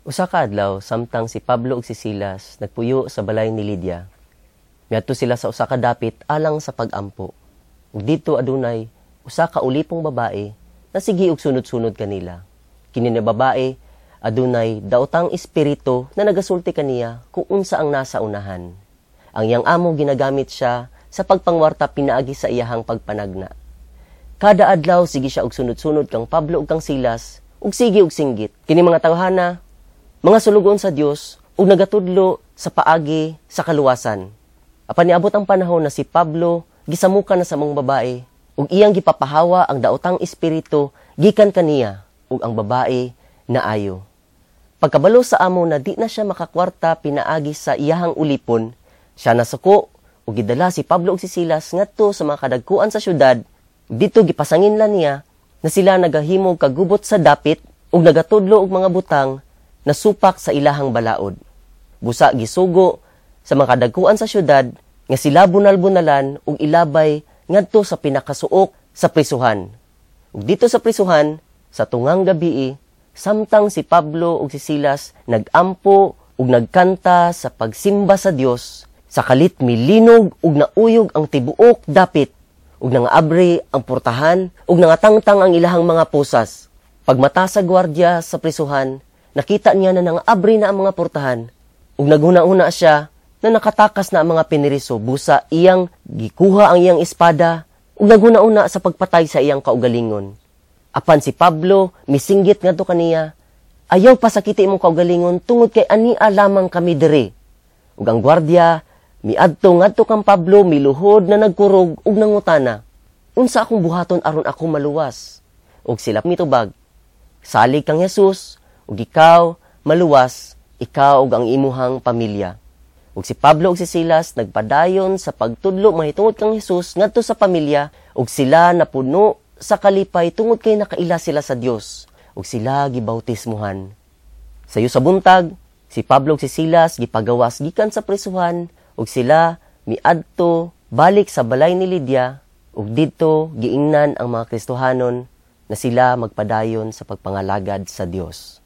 Usa ka adlaw, samtang si Pablo ug si Silas nagpuyo sa balay ni Lydia, miadto sila sa usa ka dapit alang sa pag-ampo. Ug didto adunay usa ka ulipong babae na sige og sunod-sunod kanila. Kini nga babae adunay daotang espiritu na nagasulti kaniya kung unsa ang nasa unahan. Ang iyang amo ginagamit siya sa pagpangwarta pinaagi sa iyahang pagpanagna. Kada adlaw sige siya og sunod-sunod kang Pablo ug kang Silas ug sige og singgit. Kini mga tawhana, mga sulugoon sa Dios ug nagatudlo sa paagi sa kaluwasan. Apan niabot ang panahon na si Pablo gisamukan na sa maong babae ug iyang gipapahawa ang daotang espiritu gikan kaniya, ug ang babae naayo. Pagkabalo sa amo na di na siya makakwarta pinaagi sa iyahang ulipon, siya nasuko ug gidala si Pablo ug si Silas ngadto sa mga kadagkuan sa syudad. Didto gipasanginlan niya na sila nagahimo kagubot sa dapit ug nagatudlo og mga butang na supak sa ilahang balaod. Busa gisugo sa mga kadagkuan sa syudad nga sila bunal-bunalan ug ilabay ngadto sa pinakasuok sa prisuhan. Ug didto sa prisuhan, sa tungang gabii, samtang si Pablo ug si Silas nagampo ug nagkanta sa pagsimba sa Dios, sa kalit milinog ug nauyog ang tibuok dapit, ug nangaabri ang portahan ug nangatangtang ang ilahang mga posas. Pagmata sa gwardiya sa prisuhan, nakita niya na nangaabri na ang mga portahan, ug naghuna-huna siya na nakatakas na ang mga piniriso. Busa iyang gikuha ang iyang espada ug naghuna-huna sa pagpatay sa iyang kaugalingon. Apan si Pablo misinggit ngadto kaniya, "Ayaw pasakiti imong kaugalingon tungod kay ania lamang kami diri." Ug ang gwardiya miadto ngadto kang Pablo, miluhod na nagkurog ug nangutana, "Unsa akong buhaton aron ako maluwas?" Ug sila mitubag, "Salig kang Jesus ug ikaw maluwas, ikaw ug ang imuhang pamilya." Ug si Pablo ug si Silas nagpadayon sa pagtudlo mahitungod kang Jesus ngadto sa pamilya, ug sila napuno sa kalipay tungod kay nakaila sila sa Dios, ug sila gibautismuhan. Sayo sa buntag, si Pablo ug si Silas gipagawas gikan sa prisuhan, ug sila miadto balik sa balay ni Lydia, ug didto giingnan ang mga Kristohanon na sila magpadayon sa pagpangalagad sa Dios.